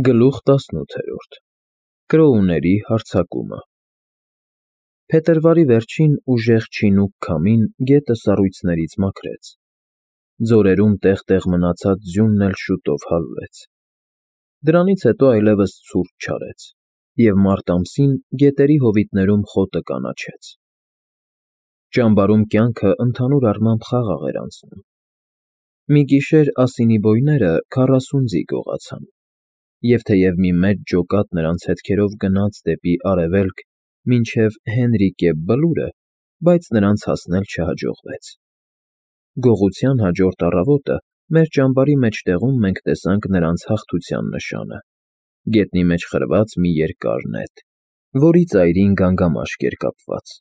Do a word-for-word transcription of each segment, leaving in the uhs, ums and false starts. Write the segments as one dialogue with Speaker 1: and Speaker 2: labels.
Speaker 1: Գլուխ տասնութ Կրոուների հարձակումը Փետրվարի վերջին ուժեղ չինուկ քամին գետը սառույցներից մաքրեց, ձորերում տեղ֊տեղ մնացած ձյունն էլ շուտով հալվեց, դրանից հետո այլևս ցուրտ չարեց, և մարտ ամսին գետերի հովիտներում խոտը կանաչեց. ճամբարում կյանքը ընդհանուր առմամբ խաղաղ էր անցնում, մի գիշեր ասինի բոյները քառասուն ձի գողացան, և թեև մի մեծ ջոկատ նրանց հետքերով գնաց դեպի արևելք մինչև Հենրիկե Բլուրը, բայց նրանց հասնել չհաջողվեց. գողության հաջորդ առավոտը մեր ճամբարի մեջտեղում մենք տեսանք նրանց հաղթության նշանը, գետնի մեջ խրված մի երկար նետ, որի ծայրին գանգամաշկ էր կապված.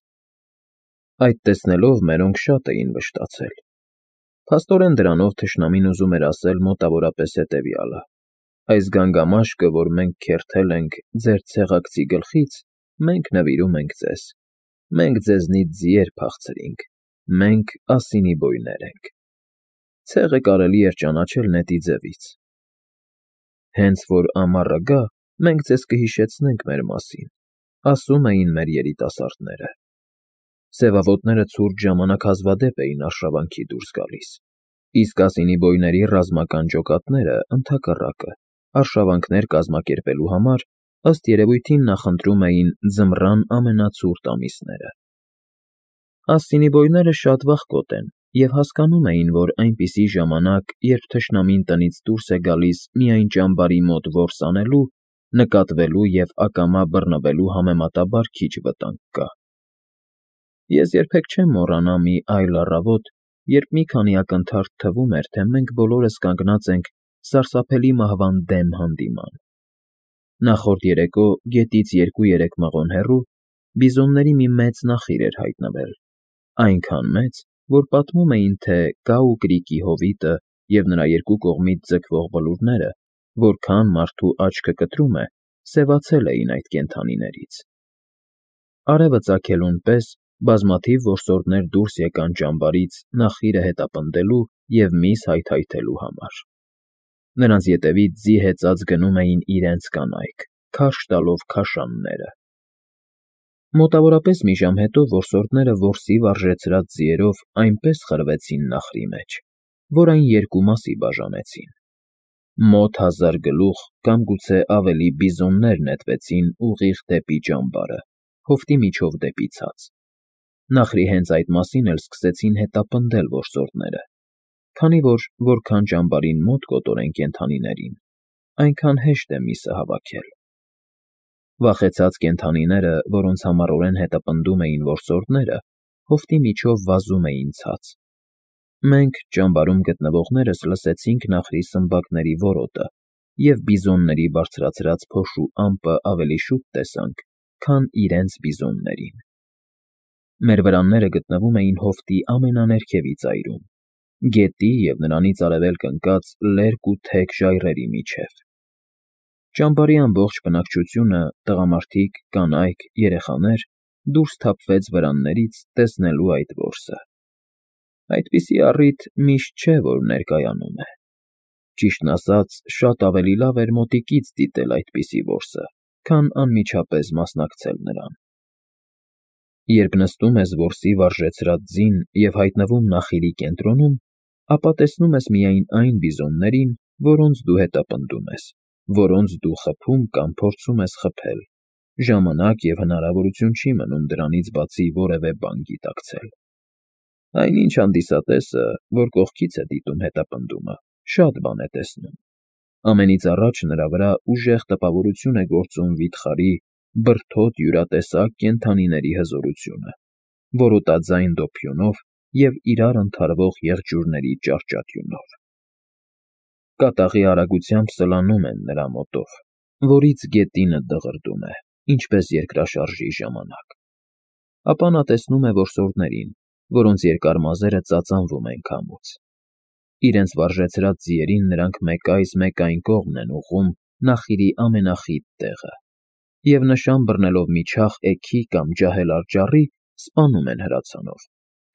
Speaker 1: այդ տեսնելով մերոնք շատ էին վշտացել, փաստորեն դրանով թշնամին ուզում էր ասել մոտավորապես հետևյալը. այս գանգամաշկը, որ մենք քերթել ենք ձեր ցեղակցի գլխից, մենք նվիրում ենք ձեզ, մենք ձեզնից ձիեր փախցրինք, մենք ասինի բոյներ ենք, ցեղը կարելի էր ճանաչել նետի ձևից. հենց որ ամառը գա, մենք ձեզ կհիշեցնենք մեր մասին, ասում էին մեր երիտասարդները. սևավոտները ցուրտ ժամանակ հազվադեպ էին արշավանքի դուրս գալիս, իսկ ասինի բոյների ռազմական ջոկատները, ընդհակառակը, արշավանքներ կազմակերպելու համար, ըստ երևույթին նախընտրում էին ձմռան ամենացուրտ ամիսները. Ասինի բոյները շատ վախկոտ են և հասկանում էին, որ այնպիսի ժամանակ, երբ թշնամին տնից դուրս է գալիս միայն ճամբարի մոտ որս անելու, նկատվելու և ակամա բռնվելու համեմատաբար քիչ վտանգ կա. ես երբեք չեմ մոռանա մի այլ առավոտ, երբ մի քանի ակնթարթ թվում էր, թե մենք բոլորս կանգնած ենք սարսափելի մահվան դեմ հանդիման. նախորդ երեկո գետից երկու֊երեք մղոն հեռու բիզոնների մի մեծ նախիր էր հայտնվել, այնքան մեծ, որ պատմում էին, թե Կաու կրիկի հովիտը և նրա երկու կողմից ձգվող բլուրները, որքան մարդու աչքը կտրում է, սևացել էին այդ կենդանիներից. արևը ծագելուն պես բազմաթիվ որսորդներ դուրս եկան ճամբարից նախիրը հետապնդելու և միս հայթայթելու համար. նրանց ետևից ձի հեծած գնում էին իրենց կանայք, քարշ տալով քաշանները: Մոտավորապես մի ժամ հետո որսորդները որսի վարժեցրած ձիերով այնպես խրվեցին նախրի մեջ, որ այն երկու մասի բաժանեցին. մոտ հազար գլուխ կամ գուցե ավելի բիզոններ նետվեցին ուղիղ դեպի ճամբարը, հովտի միջով դեպի ցած: Նախրի հենց այդ մասին էլ սկսեցին հետապնդել որսորդները, քանի որ որքան ճամբարին մոտ կոտորեն կենդանիներին, այնքան հեշտ է միսը հավաքել: Վախեցած կենդանիները, որոնց համառորեն հետապնդում էին որսորդները, հովտի միջով վազում էին ցած: Մենք, ճամբարում գտնվողներս լսեցինք նախրի սմբակների որոտը և բիզոնների բարձրացրած փոշու ամպը ավելի շուտ տեսանք, քան իրենց բիզոններին: Մեր վրանները գտնվում էին հովտի ամենաներքևի ծայրում, գետի և նրանից արևելք ընկած լերկ ու թեք ժայռերի միջև: Ճամբարի ամբողջ բնակչությունը, տղամարդիկ, կանայք, երեխաներ, դուրս թափվեց վրաններից տեսնելու այդ որսը: Այդպիսի առիթ միշտ չէ, որ ներկայանում է: Ճիշտն ասած, շատ ավելի լավ էր մոտիկից դիտել այդպիսի որսը, քան անմիջապես մասնակցել նրան: Երբ նստում ես որսի վարժեցրած ձին և հայտնվում նախիրի կենտրոնում, ապա տեսնում ես միայն այն բիզոններին, որոնց դու հետապնդում ես, որոնց դու խփում կամ փորձում ես խփել, ժամանակ և հնարավորություն չի մնում դրանից բացի որևէ բան գիտակցել: Այնինչ հանդիսատեսը, որ կողքից է դիտում հետապնդումը, շատ բան է տեսնում: Ամենից առաջ նրա վրա ուժեղ տպավորություն է գործում վիթխարի, բրդոտ յուրատեսակ կենդանիների հզորությունը, որոտաձայն դոփյունով և իրար ընդհարվող եղջյուրների ճահճատյունով: Կատաղի արագությամբ սլանում են նրա մոտով, որից գետինը դղրդում է, ինչպես երկրաշարժի ժամանակ: Ապա նա տեսնում է որսորդներին, որոնց երկար մազերը ծածանվում են քամուց: Իրենց վարժեցրած ձիերին նրանք մեկ այս, մեկ այն կողմն են ուղղում նախիրի ամենախիտ տեղը և նշան բռնելով մի չաղ էգի կամ ջահելար ճառի, սպանում են հրացանով,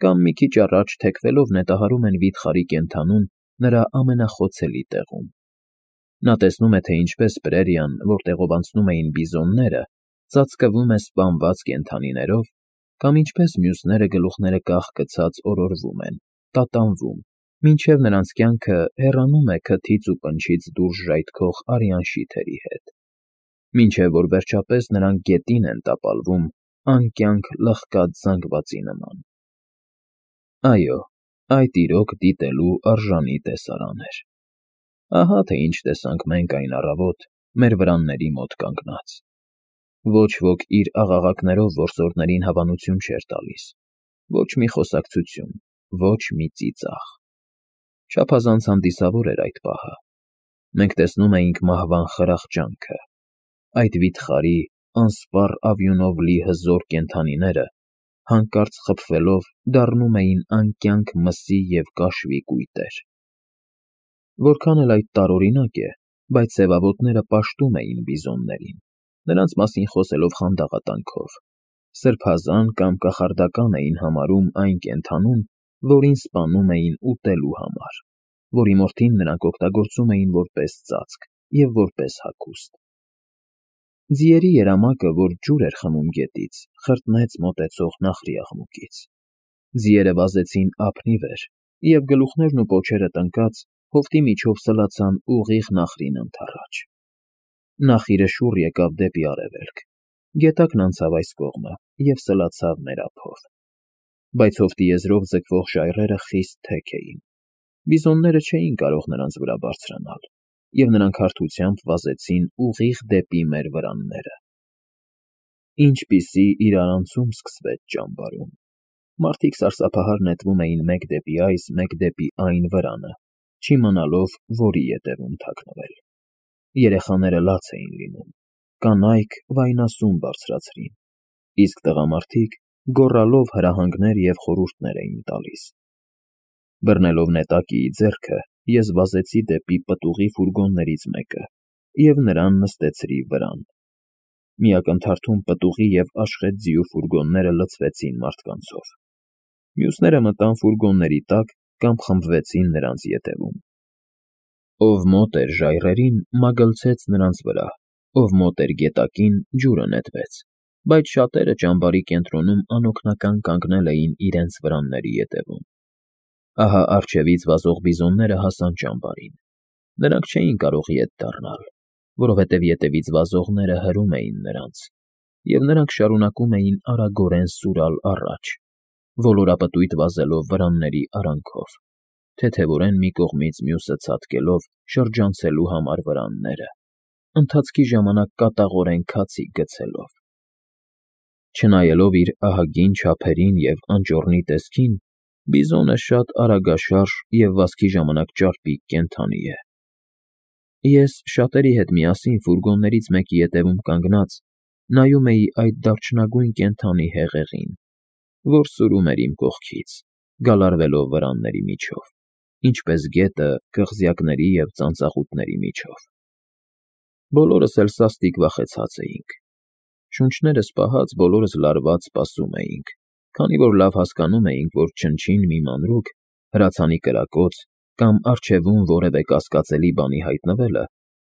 Speaker 1: կամ մի քիչ առաջ թեքվելով նետահարում են վիթխարի կենդանուն նրա ամենախոցելի տեղում: Նա տեսնում է, թե ինչպես պրերիան, որտեղով անցնում էին բիզոնները, ծածկվում է սպանված կենդանիներով, կամ ինչպես մյուսները գլուխները կախ գցած օրորվում են, տատանվում, մինչև նրանց կյանքը հեռանում է քթից ու պնչից դուրս ժայթքող արյան շիթերի հետ, մինչև որ վերջապես նրանք գետին են տապալվում անկյանք լխկած զանգվածի նման։ Այո, այդ իրոք դիտելու արժանի տեսարան էր։ Ահա թե ինչ տեսանք մենք այն առավոտ մեր վրանների մոտ կանգնած։ Ոչ ոք իր աղաղակներով որսորդներին հավանություն չէր տալիս, ոչ մի խոսակցություն, ոչ մի ծիծաղ։ Չափազանց հանդիսավոր էր այդ պահը։ Մենք տեսնում էինք մահվան խրախճանքը, այդ վիթխարի, անսպառ ավյունով լի հզոր կենդանիները, հանկարծ խփվելով, դառնում էին անկյանք մսի և կաշվի կույտեր։ Որքան էլ այդ տարօրինակ է, բայց սևավոտները պաշտում էին բիզոններին, նրանց մասին խոսելով խանդաղատանքով, սրբազան կամ կախարդական էին համարում այն կենդանուն, որին սպանում էին ուտելու համար, որի մորթին նրանք օգտագործում էին որպես ծածկ և որպես հագուստ։ Ձիերի երամակը, որ ջուր էր խմում գետից, խրտնեց մոտեցող նախրի աղմուկից։ Ձիերը վազեցին ափնի վեր, և գլուխներն ու պոչերը տնկած հովտի միջով սլացան ուղիղ նախրին ընդառաջ։ Նախիրը շուռ եկավ դեպի արևելք, գետակն անցավ այս կողմը և սլացավ մեր ափով։ Բայց հովտի եզրով ձգվող ժայռերը խիստ թեք էին։ Բիզոնները չէին կարող նրանց վրա բարձրանալ, և նրանք հարթությամբ վազեցին ուղիղ դեպի մեր վրանները։ Ինչպիսի իրարանցում սկսվեց ճամբարում։ Մարդիկ սարսափահար նետվում էին մեկ դեպի այս, մեկ դեպի այն վրանը, չիմանալով, որի ետևում թաքնվել։ Երեխաները լաց էին լինում, կանայք վայնասուն բարձրացրին, իսկ տղամարդիկ գոռալով հրահանգներ և խորհուրդներ էին տալիս։ Բռնելով նետակիի ձեռքը, ես վազեցի դեպի պտուղի ֆուրգոններից մեկը և նրան նստեցրի վրան։ Մի ակնթարթում պտուղի և աշխատ ձիու ֆուրգոնները լցվեցին մարդկանցով։ Մյուսները մտան ֆուրգոնների տակ կամ խմբվեցին նրանց ետևում։ Ով մոտ էր ժայռերին, մագլցեց նրանց վրա, ով մոտ էր գետակին, ջուրը նետվեց, բայց շատերը ճամբարի կենտրոնում անօգնական կանգնել էին իրենց վրանների ետևում։ Ահա առջևից վազող բիզոնները հասան ճամբարին։ Նրանք չէին կարող ետ դառնալ, որովհետև ետևից վազողները հրում էին նրանց, և նրանք շարունակում էին արագորեն սուրալ առաջ, ոլորապտույտ վազելով վրանների արանքով, թեթևորեն մի կողմից մյուսը ցատկելով շրջանցելու համար վրանները, ընթացքի ժամանակ կատաղորեն քացիկ գցելով։ Չնայելով իր ահագին չափերին և անճոռնի տեսքին, բիզոնը շատ արագաշարժ և վազքի ժամանակ ճարպիկ կենդանի է։ Ես շատերի հետ միասին ֆուրգոններից մեկի ետևում կանգնած նայում էի այդ դարչնագույն կենդանի հեղեղին, որ սուրում էր իմ կողքից, գալարվելով վրանների միջով, ինչպես գետը կղզյակների և ծանծաղուտների միջով։ Բոլորս էլ սաստիկ վախեցած էինք։ Շունչներս պահած, բոլորս լարված սպասում էինք, քանի որ լավ հասկանում էինք, որ չնչին մի մանրուք, հրացանի կրակոց կամ առջևում որևէ կասկածելի բանի հայտնվելը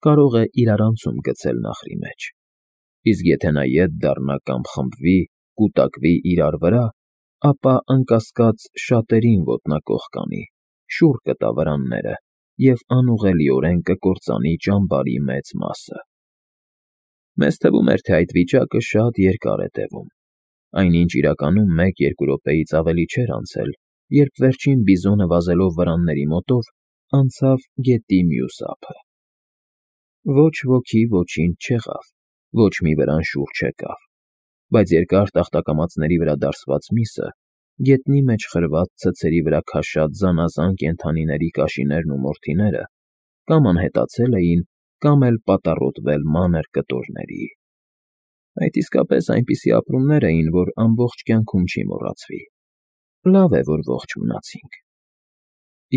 Speaker 1: կարող է իրարանցում գցել նախրի մեջ, իսկ եթե նա ետ դառնա կամ խմբվի, կուտակվի իրար վրա, ապա անկասկած շատերին ոտնակոխ կանի, շուռ կտա վրանները և անուղղելիորեն կկործանի ճամբարի մեծ մասը։ Մեզ թվում էր, թե այդ վիճակը շատ երկար է տևում, այնինչ իրականում մեկ֊երկու րոպեից ավելի չէր անցել, երբ վերջին բիզոնը վազելով վրանների մոտով անցավ գետի մյուս ափը։ Ոչ ոքի ոչինչ չեղավ, ոչ մի վրան շուռ չեկավ, բայց երկար տախտակամածների վրա դարսված միսը, գետնի մեջ խրված ցցերի վրա քաշած զանազան կենդանիների կաշիներն ու մորթիները կամ անհետացել էին, կամ էլ պատառոտվել մանր կտորների։ Այդ իսկապես այնպիսի ապրումներ էին, որ ամբողջ կյանքում չի մոռացվի։ Լավ է, որ ողջ մնացինք։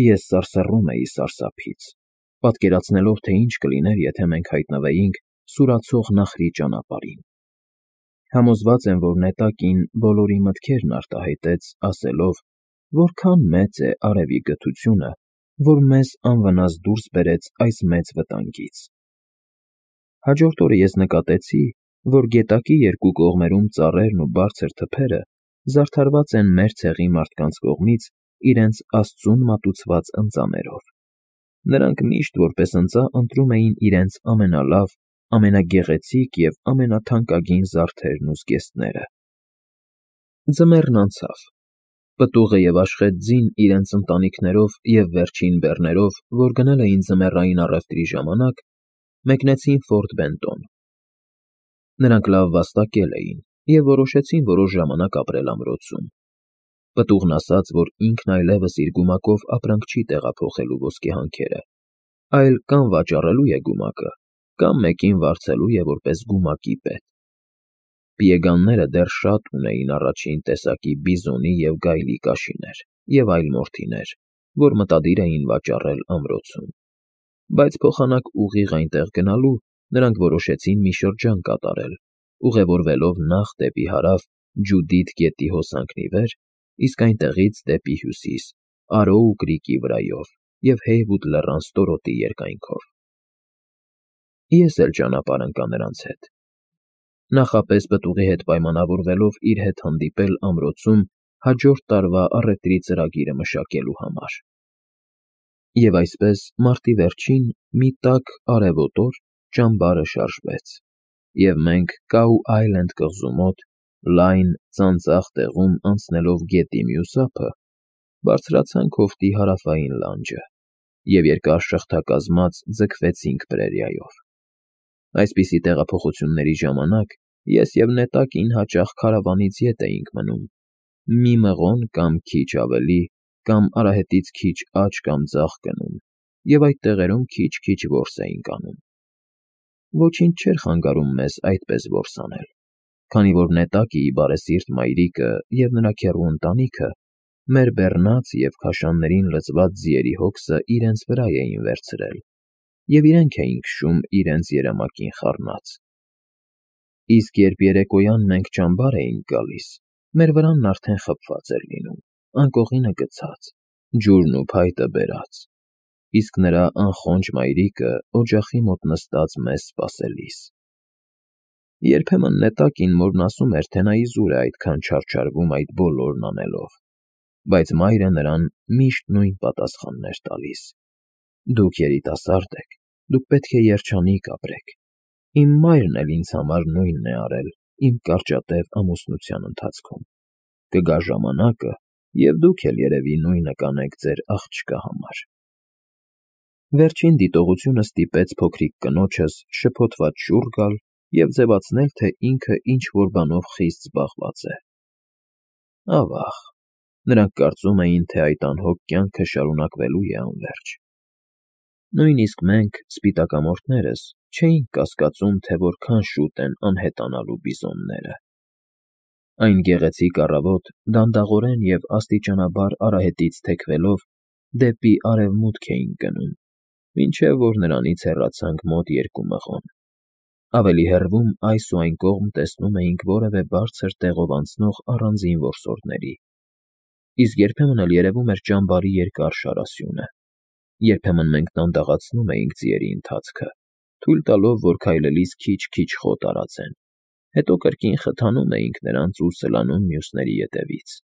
Speaker 1: Ես սարսռում էի սարսափից, պատկերացնելով, թե ինչ կլիներ, եթե մենք հայտնվեինք սուրացող նախրի ճանապարհին։ Համոզված եմ, որ նետակին բոլորի մտքերն արտահայտեց, ասելով, որքան մեծ է արևի գթությունը, որ մեզ անվնաս դուրս բերեց այս մեծ վտանգից։ Հաջորդ օրը ես նկատեցի, որ գետակի երկու կողմերում ծառերն ու բարձր թփերը զարդարված են մեր ցեղի մարդկանց կողմից իրենց աստծուն մատուցված ընծաներով. նրանք միշտ որպես ընծա ընտրում էին իրենց ամենալավ, ամենագեղեցիկ և ամենաթանկագին զարդերն ու զգեստները։ Ձմեռն անցավ, պտուղը և Աշխետ ձին իրենց ընտանիքներով և վերջին բեռներով, որ գնել էին ձմեռային առևտրի ժամանակ, մեկնեցին Ֆորտ Բենտոն։ Նրանք լավ վաստակել էին և որոշեցին որոշ ժամանակ ապրել ամրոցում։ Պտուղն ասաց, որ ինքն այլևս իր գումակով ապրանք չի տեղափոխելու ոսկեհանքերը, այլ կամ վաճառելու է գումակը, կամ մեկին վարձելու է որպես գումակի պետ։ Պիեգանները դեռ շատ ունեին առաջին տեսակի բիզոնի և գայլի կաշիներ և այլ մորթիներ, որ մտադիր էին վաճառել ամրոցում, բայց փոխանակ ուղիղ այնտեղ գնալու նրանք որոշեցին մի շրջան կատարել, ուղևորվելով նախ դեպի հարավ Ջուդիթ գետի հոսանքն ի վեր, իսկ այնտեղից դեպի հյուսիս Արոու կրիկի վրայով և Հեյվուդ լեռան ստորոտի երկայնքով։ Ես էլ ճանապարհ ընկա նրանց հետ, նախապես պտուղի հետ պայմանավորվելով իր հետ հանդիպել ամրոցում հաջորդ տարվա առևտրի ծրագիրը մշակելու համար։ Եվ այսպես, մարտի վերջին մի տաք արևոտ օր ճամբարը շարժվեց, և մենք Կաու Այլենդ կղզու մոտ, լայն, ծանծաղ տեղում անցնելով գետի մյուս ափը, բարձրացանք հովտի հարավային լանջը և երկար շղթակազմած ձգվեցինք պրերիայով։ Այսպիսի տեղափոխությունների ժամանակ ես և Նետակին հաճախ քարավանից ետ էինք մնում, մի մղոն կամ քիչ ավելի, կամ արահետից քիչ աջ կամ ձախ գնում և այդ տեղերում քիչ֊քիչ որս էինք անում։ Ոչինչ չէր խանգարում մեզ այդպես որս անել, քանի որ Նետակիի բարեսիրտ մայրիկը և նրա քեռու ընտանիքը մեր բեռնած և քաշաններին լցված ձիերի հոգսը իրենց վրա էին վերցրել և իրենք էին քշում իրենց երամակին խառնած։ Իսկ երբ երեկոյան մենք ճամբար էինք գալիս, մեր վրանն արդեն խփված էր լինում, անկողինը գցած, ջուրն ու փայտը բերած, իսկ նրա անխոնջ մայրիկը օջախի մոտ նստած մեզ սպասելիս։ Երբեմն Նետակին մորն ասում էր, թե նա իզուր է այդքան չարչարվում այդ բոլորն անելով, բայց մայրը նրան միշտ նույն պատասխանն էր տալիս. «Դուք երիտասարդ եք, դուք պետք է երջանիկ ապրեք։ Իմ մայրն էլ ինձ համար նույնն է արել իմ կարճատև ամուսնության ընթացքում։ Կգա ժամանակը, և դուք էլ երևի նույնը կանեք ձեր աղջկա համար»։ Վերջին դիտողությունը ստիպեց փոքրիկ կնոջս շփոթված շուռ գալ և ձևացնել, թե ինքը ինչ֊որ բանով խիստ զբաղված է։ Ավա՜ղ, նրանք կարծում էին, թե այդ անհոգ կյանքը շարունակվելու է անվերջ։ Նույնիսկ մենք, սպիտակամորթներս, չէինք կասկածում, թե որքան շուտ են անհետանալու բիզոնները։ Այն գեղեցիկ առավոտ դանդաղորեն և աստիճանաբար արահետից թեքվելով դեպի արևմուտք էինք գնում, մինչև որ նրանից հեռացանք մոտ երկու մղոն։ Ավելի հեռվում այս ու այն կողմ տեսնում էինք որևէ բարձր տեղով անցնող առանձին որսորդների, իսկ երբեմն էլ երևում էր ճամբարի երկար շարասյունը։ Երբեմն մենք դանդաղացնում էինք ձիերի ընթացքը, թույլ տալով, որ քայլելիս քիչ֊քիչ խոտ արածեն, հետո կրկին խթանում էինք նրանց ու սլանում մյուսների ետևից։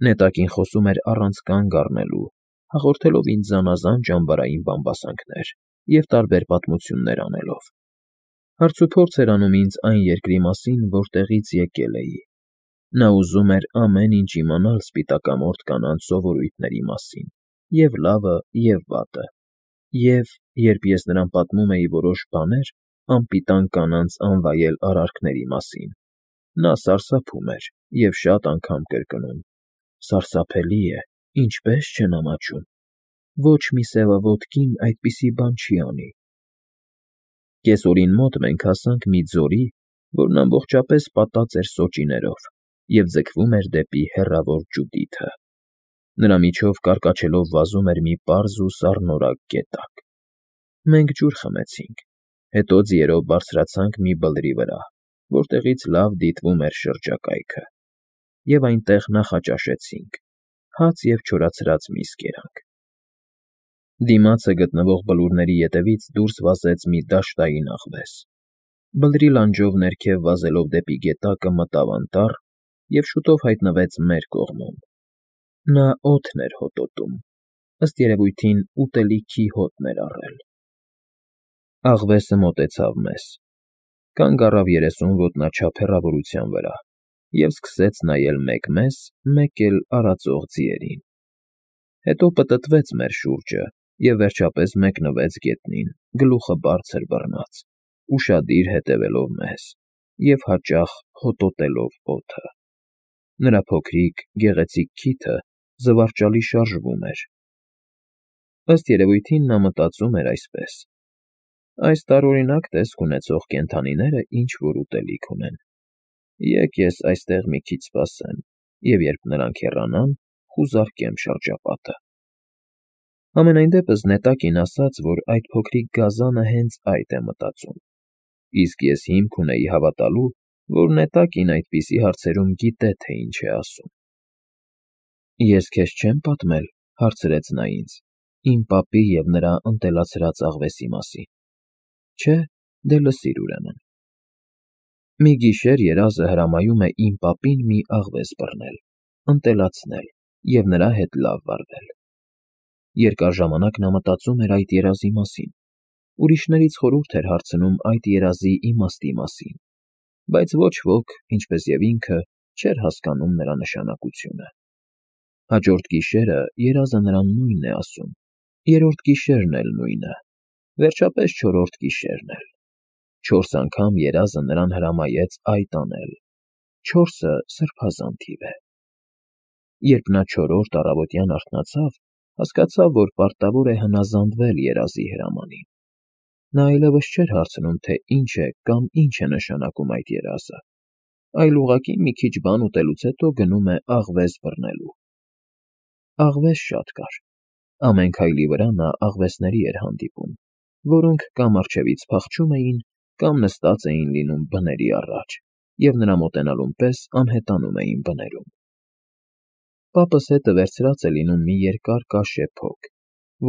Speaker 1: Նետակին խոսում էր առանց կանգ առնելու, հաղորդելով ինձ զանազան ճամբարային բամբասանքներ և տարբեր պատմություններ անելով։ Հարցուփորձ էր անում ինձ այն երկրի մասին, որտեղից եկել էի։ Նա ուզում էր ամեն ինչ իմանալ սպիտակամորթ կանանց սովորույթների մասին, և՛ լավը, և՛ վատը, և, երբ ես նրան պատմում էի որոշ բաներ անպիտան կանանց անվայել արարքների մասին, նա սարսափում էր և շատ անգամ կրկնում. «Սարսափելի է, ինչպե՜ս չեն ամաչում, ոչ մի սևավոտ կին այդպիսի բան չի անի»։ Կեսօրին մոտ մենք հասանք մի ձորի, որն ամբողջապես պատած էր սոճիներով և ձգվում էր դեպի հեռավոր Ջուդիթը։ Նրա միջով կարկաչելով վազում էր մի պարզ ու սառնորակ գետակ։ Մենք ջուր խմեցինք, հետո ձիերով բարձրացանք մի բլրի վրա, որտեղից լավ դիտվում էր շրջակայքը, և այնտեղ նախաճաշեցինք, հաց և չորացրած միս կերանք։ Դիմացը գտնվող բլուրների ետևից դուրս վազեց մի դաշտային աղվես, բլրի լանջով ներքև վազելով դեպի գետակը մտավ անտառ և շուտով հայտնվեց մեր կողմում. նա օդն էր հոտոտում, ըստ երևույթին ուտելիքի հոտն էր առել։ Աղվեսը մոտեցավ մեզ, կանգ առավ երեսուն ոտնաչափ հեռավորության վրա և սկսեց նայել մեկ մեզ, մեկ էլ արածող ձիերին, հետո պտտվեց մեր շուրջը և վերջապես մեկնվեց գետնին, գլուխը բարձր բռնած, ուշադիր հետևելով մեզ և հաճախ հոտոտելով օդը։ Նրա փոքրիկ, գեղեցիկ քիթը զվարճալի շարժվում էր։ Ըստ երևույթին նա մտածում էր այսպես. «Այս տարօրինակ տեսք ունեցող կենդանիները ինչ֊որ ուտելիք ունեն, եկ ես այստեղ մի քիչ սպասեմ և երբ նրանք հեռանան, խուզարկեմ շրջապատը»։ Համենայն դեպս նետակին ասաց, որ այդ փոքրիկ գազանը հենց այդ է մտածում, իսկ ես հիմք ունեի հավատալու, որ նետակին այդպիսի հարցերում գիտե, թե ինչ է ասում։ «Ես քեզ չեմ պատմել,֊ հարցրեց նա ինձ,֊ իմ պապի և նրա ընտելացրած աղվեսի մասին։ Չէ՞, դե լսիր ուրեմն։ Մի գիշեր երազը հրամայում է իմ պապին մի աղվես բռնել, ընտելացնել և նրա հետ լավ վարվել։ Երկար ժամանակ նա մտածում էր այդ երազի մասին, ուրիշներից խորհուրդ էր հարցնում այդ երազի իմաստի մասին, բայց ոչ ոք, ինչպես և ինքը, չէր հասկանում նրա նշանակությունը։ Հաջորդ գիշերը երազը նրան նույնն է ասում, երրորդ գիշերն էլ նույնը, վերջապես չորրորդ գիշերն էլ։ Չորս անգամ երազը նրան հրամայեց այդ անել, չորսը սրբազան թիվ է։ Երբ նա չորրորդ առավոտյան արթնացավ, հասկացավ, որ պարտավոր է հնազանդվել երազի հրամանին։ Նա այլևս չէր հարցնում, թե ինչ է կամ ինչ է նշանակում այդ երազը, այլ ուղղակի մի քիչ բան ուտելուց հետո գնում է աղվես բռնելու։ Աղվես շատ կար։ Ամեն քայլի վրա նա աղվեսների էր հանդիպում, որոնք կամ առջևից փախչում էին, կամ նստած էին լինում բների առաջ և նրա մոտենալուն պես անհետանում էին բներում։ Պապս հետը վերցրած է լինում մի երկար կաշե փոք,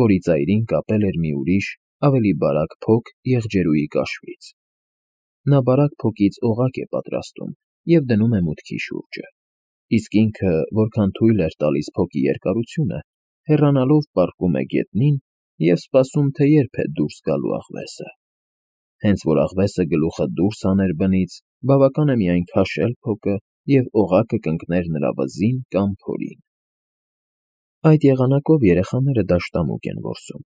Speaker 1: որի ծայրին կապել էր մի ուրիշ, ավելի բարակ փոք եղջերուի կաշվից։ Նա բարակ փոքից օղակ է պատրաստում և դնում է մուտքի շուրջը, իսկ ինքը, որքան թույլ էր տալիս փոքի երկարությունը, հեռանալով պառկում է գետնին և սպասում, թե երբ է դուրս գալու աղվեսը։ Հենց որ աղվեսը գլուխը դուրս հաներ բնից, բավական է միայն քաշել փոքը, և օղակը կընկներ նրա վզին կամ փորին։ Այդ եղանակով երեխաները դաշտամուկ են որսում։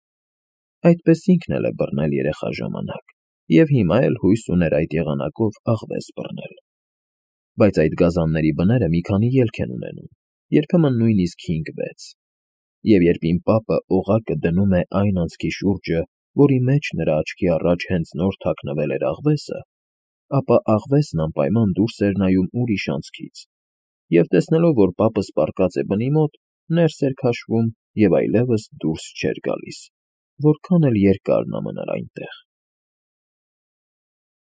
Speaker 1: Այդպես ինքն էլ է բռնել երեխա ժամանակ և հիմա էլ հույս ուներ այդ եղանակով աղվես բռնել։ Բայց այդ գազանների բները մի քանի ելք են ունենում, երբեմն նույնիսկ հինգ֊վեց, և երբ իմ պապը օղակը դնում է այն անցքի շուրջը, որի մեջ նրա աչքի առաջ հենց նոր թաքնվել էր աղվեսը, ապա աղվեսն անպայման դուրս էր նայում ուրիշ անցքից, և տեսնելով, որ պապս պառկած է բնի մոտ, ներս էր քաշվում և այլևս դուրս չէր գալիս, որքան էլ երկար նա մնար այնտեղ։